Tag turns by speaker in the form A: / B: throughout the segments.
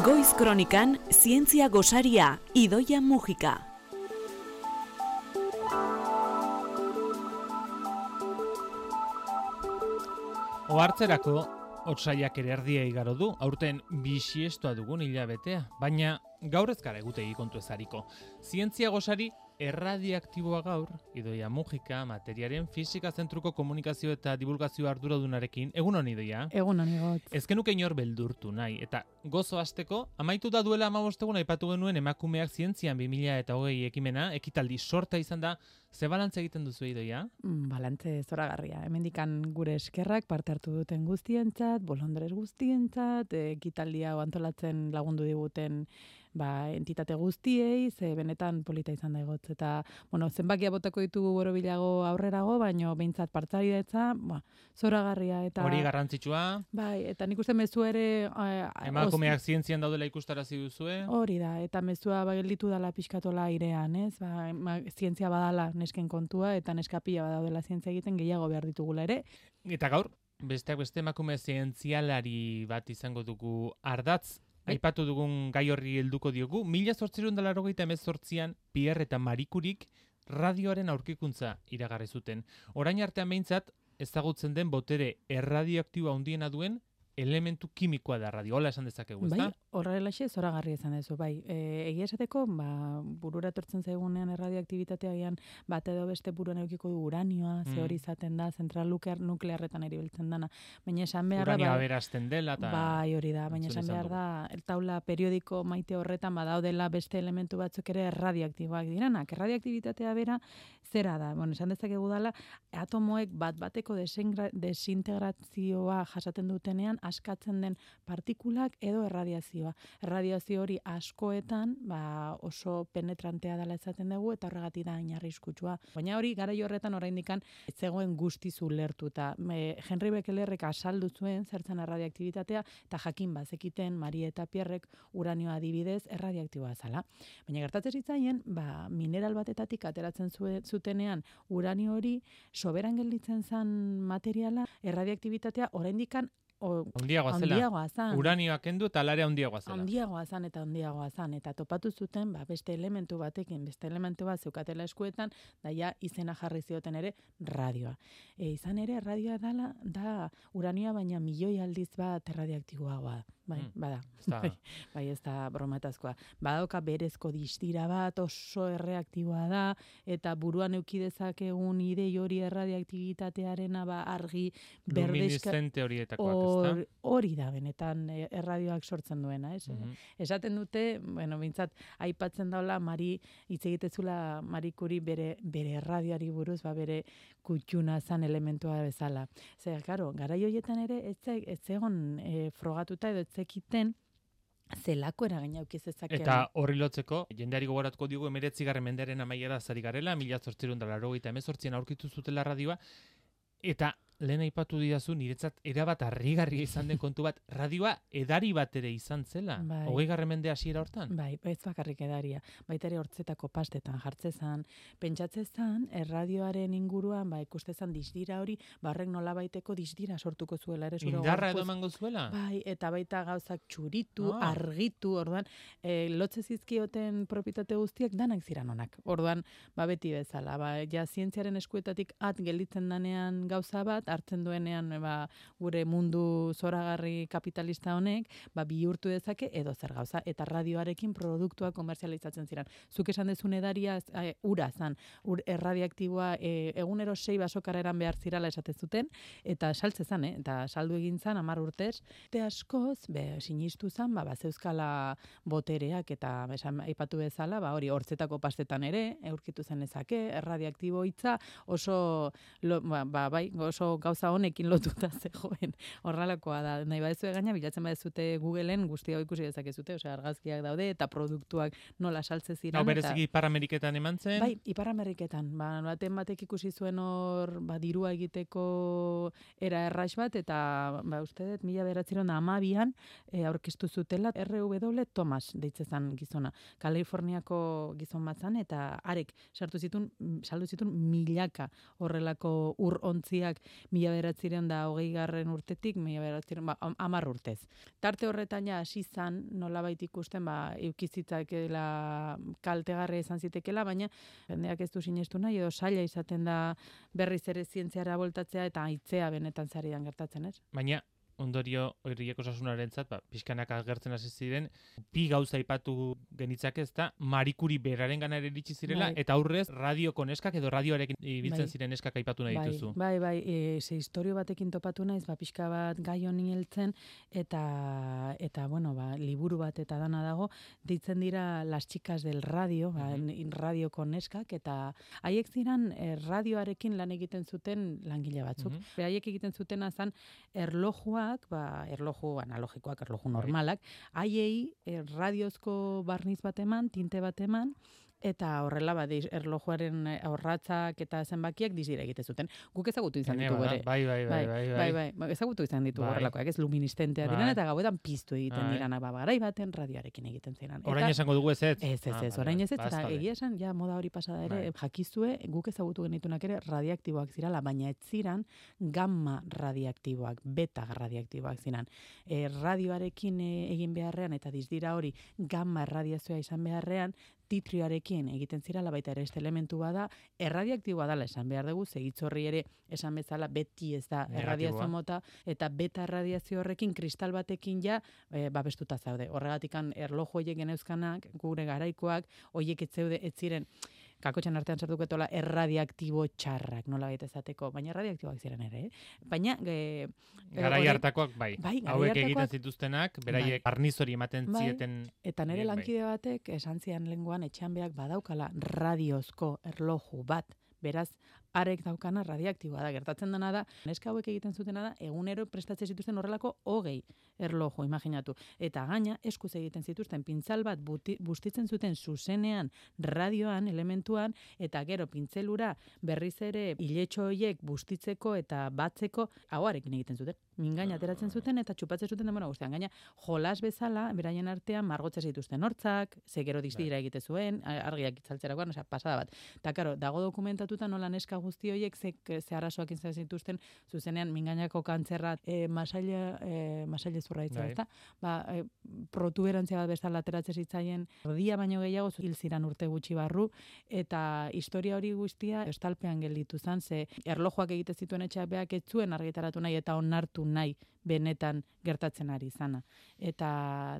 A: Goiz Kronikan, zientzia gosaria, Idoia Mujika.
B: Ohartzerako, otsaiak ere erdia igaro du, aurten bisiestoa dugun hilabetea, baina gaur ez gara egutegi kontu ezariko. Zientzia gosari erradiaktiboa gaur, Idoia Mujika, materiaren fisika zentruko komunikazio eta divulgazio arduradunarekin, egun honi Idoia?
C: Egun honi got.
B: Ezkenuke inor beldurtu nahi, eta gozo hasteko, amaitu da duela 15 egun aipatu genuen emakumeak zientzian 2020 ekimena, ekitaldi sorta izan da, ze balantze egiten duzu Idoia?
C: Balantze zoragarria. Hemendikan gure eskerrak parte hartu duten guztientzat, bolondrez guztientzat, ekitaldia antolatzen lagundu diguten entitate guztiei, ze benetan polita izan da egotz. Eta, zenbakia botako ditugu borobilago aurrerago, baino behintzat partzaideetza, zoragarria. Eta,
B: hori garrantzitsua.
C: Bai, eta nik uste mezu ere...
B: emakumeak zientzian daudela ikustarazi duzue.
C: Hori da, eta mezua gelditu dala pixkatola airean, ez? Zientzia badala nesken kontua, eta neskapila badaudela zientzia egiten gehiago behar ditugula ere.
B: Eta gaur, besteak beste emakume zientzialari bat izango dugu ardatz, aipatu dugun gai horri helduko diogu, 1888an Pierre eta Marie Curie'k radioaren aurkikuntza iragarri zuten. Orain artean behintzat ezagutzen den botere erradioaktiboa handiena duen elementu kimikoa da radio. Hola esan dezakegu, ezta?
C: Bai, horrelaxe zoragarria izan dezu, bai. Egia esateko, burura etortzen zaigunean erradioaktibitatea gian bat edo beste buruan eukiko du uranioa, ze hori izaten da, zentral nuklearretan eribiltzen dana. Baina esan behar da...
B: Uranioa berazten dela eta...
C: Bai, hori da, baina esan behar da, taula periodiko maite horretan badaudela beste elementu batzuk ere erradioaktiboak diranak. Erradioaktibitatea bera, zera da? Esan dezakegu dala, atomoek bat-bateko desintegrazioa jasaten dutenean, askatzen den partikulak edo erradiazioa. Erradiazio hori askoetan oso penetrantea dela ezaten dugu eta horregatik da hain arriskutsua. Baina hori garaio horretan oraindikan ez zegoen guztiz ulertuta. Henry Becquerelek azaldu zuen zertzen erradiaktibitatea eta jakin bazekiten Marie eta Pierrek uranioa adibidez erradiaktiboa zala. Baina gertatzen zitzaien, mineral batetatik ateratzen zutenean uranio hori soberan gelditzen zen materiala erradiaktibitatea oraindikan handiagoa zan.
B: Uranioak kendu eta alarea handiagoa zela.
C: Handiagoa zan. Eta topatu zuten, beste elementu batekin, beste elementu bat zeukatela eskuetan, daia izena jarri zioten ere radioa. Izan ere, radioa da uranioa baina milioi aldiz bat erradiaktiboagoa. Bada. Bai, ez da bromatazkoa. Badauka berezko distira bat, oso erreaktiboa da, eta buruan eukidezakegun idei hori erradiaktibitatearena argi berdezka...
B: Luminiscente horietakoak.
C: Hori da, benetan erradioak sortzen duena, ez? Esaten dute, bintzat, aipatzen daula, hitz egitezula Marie Curie bere erradioari buruz, bere kutxuna zan elementua bezala. Zer, karo, garai horietan ere, ez egon frogatuta edo ez zekiten, zelako eragina eukizezakeen.
B: Eta horri lotzeko, jendeari gogoratuko digu 19. mendearen amaiera zari garela, 1888an aurkitu zutela radioa, eta lehen aipatu didazu, niretzat erabat harrigarria izan den kontu bat, radioa edari bat ere izan zela, 20. mende hasiera hortan?
C: Bai, ez bakarrik edaria, baita ere hortzetako pastetan jartzezan, pentsatzezan, erradioaren inguruan, ikustezan disdira hori, horrek nolabaiteko disdira sortuko zuela.
B: Indarra edo emango zuela?
C: Bai, eta baita gauzak txuritu, argitu, orduan, lotze zizkioten propietate guztiak danak ziran onak. Orduan, beti bezala, zientziaren eskuetatik gelditzen danean gauza bat, hartzen duenean gure mundu zoragarri kapitalista honek, bihurtu dezake edo zer gauza, eta radioarekin produktua komerzializatzen ziren. Zuk esan dezun edaria ura zan, erradiaktiboa egunero 6 basokarreran behar zirala esaten zuten, eta saltze zan, eta saldu egin zan 10 urtez, eta askoz, sinistu zan, zeuzkala botereak, eta aipatu bezala, hori hortzetako pastetan ere, aurkitu zen ezake, erradiaktibo hitza, oso gauza honekin lotuta zegoen. Horrelakoa da. Nahi badezue gaina, bilatzen badezute Googleen guzti hau ikusi dezakezute, argazkiak daude eta produktuak nola saltze ziren.
B: Bereziki Ipar Ameriketan eman zen?
C: Bai, Ipar Ameriketan. Batek ikusi zuen hor, dirua egiteko era erraix bat, eta uste dut, 1912an aurkeztu zutela R.W. Thomas deitzezan gizona. Kaliforniako gizon bat zan, eta arek saldu zituen milaka horrelako ur ontziak 1920 urtetik 10 urtez. Tarte horretan ja hasi zan nolabait ikusten eukizitzakeela kaltegarria izan zitekela, baina jendeak ez du sinestu nahi edo saila izaten da berriz ere zientziara voltatzea eta aitzea benetan zaridan gertatzen, ez?
B: Baina ondorio horiek osasunarentzat, pixkanak agertzen hasi ziren, bi gauza aipatu genitzake, ezta, Marie Curie berarengana ere iritsi zirela, eta aurrez radioko neskak edo radioarekin ibiltzen ziren neskak aipatu nahi dituzu.
C: Bai, ze historio batekin topatu naiz, pixka bat gai honi heltzen, eta bueno, liburu bat eta dana dago, deitzen dira Las chicas del radio, radioko neskak, eta haiek ziren radioarekin lan egiten zuten langile batzuk. Haiek egiten zutena zan erlojuak, erloju analogikoak, erloju normalak, haiei radiozko barniz bat eman, tinte bat eman, eta horrela erlojuaren aurratzak eta zenbakiak dizira egite zuten. Guk ezagutu izan ditugu ere. Bai. Ezagutu izan ditugu horrelakoak, ez luministentea diren eta gauetan piztu egiten direnak, garai baten radioarekin egiten ziren.
B: Orain esango dugu ez ez?
C: Ez, orain ez ez, eta egia esan, ja moda hori pasada ere, jakizue, guk ezagutu genitunak ere radioaktiboak zirala, baina ez ziren gamma radioaktiboak, beta radioaktiboak ziren. Radioarekin egin beharrean, eta dizdira hori gamma erradiazioa izan beharrean, titrioarekin egiten zirala, baita ere este elementu bada, erradiaktiboa dala esan behar dugu, segitzorri ere esan bezala beti ez da erradiazio mota, eta beta erradiazio horrekin kristal batekin ja babestuta zaude. Horregatikan erloju horiek geneuzkanak, gure garaikoak, horiek ez ziren, kakotxan artean sartuketola erradiaktibo txarrak, nola baita ezateko, baina erradiaktiboak ziren ere, Baina...
B: Garai hartakoak, hauek egiten zituztenak, beraiek barniz hori ematen zieten...
C: Eta nire lankide batek, esan zian lenguan, etxean beak badaukala radiozko erloju bat, beraz, arek daukana radioaktiboa da. Gertatzen dena da, neska hauek egiten zutena da, egunero prestatzen zituzten horrelako 20 erloju, imaginatu. Eta gaina, eskuz egiten zituzten pintzal bat bustitzen zuten zuzenean radioan, elementuan, eta gero pintzelura berriz ere iletxo horiek bustitzeko eta batzeko, hauarekin egiten zuten. Mingaina ateratzen zuten eta txupatzen zuten denbora guztian. Gaina, jolas bezala, beraien artean margotzen zituzten hortzak, ze gero diztira egite zuen, argiak itzaltzerakoan, pasada bat. Eta, karo, dago dokumentatuta nola neska guzti horiek ze arazoak izan zituzten zuzenean mingainako kantzerra masaile zurraitza, ezta? Protuberantzia bat bezala ateratzen zitzaien erdia baino gehiago hil ziran urte gutxi barru, eta historia hori guztia estalpean gelditu zen, ze erlojuak egite zituen etxeak beak ez zuen argitaratu nahi eta onartu nahi benetan gertatzen ari izana. Eta,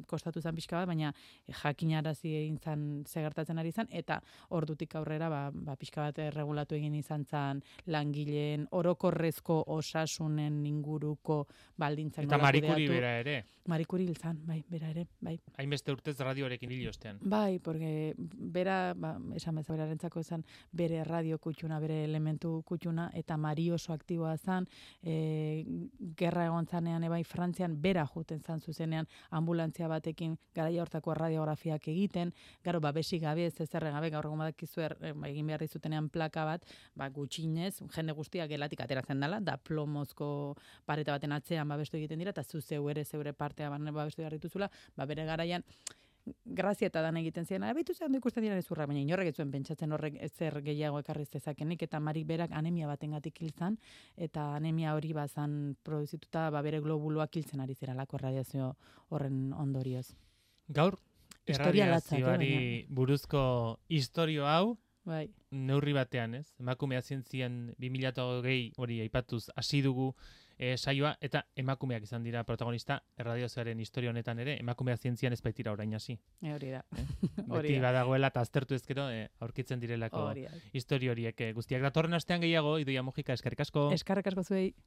C: kostatu zen pixka bat, baina jakinarazi egin zen ze gertatzen ari izan, eta ordutik aurrera, pixka bat regulatu egin izan zen langileen orokorrezko osasunen inguruko baldintzak.
B: Eta Marie Curie bera ere.
C: Marie Curie hil zen, bera ere, bai.
B: Hainbeste urtez radioarekin hil ostean.
C: Bai, porque bera, esan bezala berarentzako esan, bere radio kutxuna, bere elementu kutxuna, eta Marie oso aktiboa zen, gerra egon zanean ebai Frantzian bera juten zan zuzenean ambulantzia batekin garaia hortako radiografiak egiten, gero babesik gabe ez ezerren gabe gaur egun badakizu egin behar dizutenean plaka bat, gutxinez, jende guztiak gelatik ateratzen dela, da plomozko pareta baten atzean babestu egiten dira, eta zeure partea babestu behar dituzula, bere garaian grazia eta dan egiten ziren, abitu zen ikusten dira ezurra, baina inorrek ez zuen pentsatzen horrek ezer gehiago ekarriz dezakenik, eta Marik berak anemia batengatik hil zan, eta anemia hori bazan produzituta bere globuloak hiltzen ari ziralako radiazio horren ondorioz.
B: Gaur, erradiazioari buruzko historio hau, neurri batean, ez? Emakumea zientzian 2020 hori aipatuz hasi dugu saioa, eta emakumeak izan dira protagonista erradiazioaren historia honetan ere, emakumea zientzian ez baitira orain hasi.
C: Hori da.
B: Beti badagoela eta aztertu ezkero aurkitzen direlako historia horiek. Guztiak datorren astean gehiago, Idoia Mujika, eskerrik asko.
C: Eskerrik asko zuei.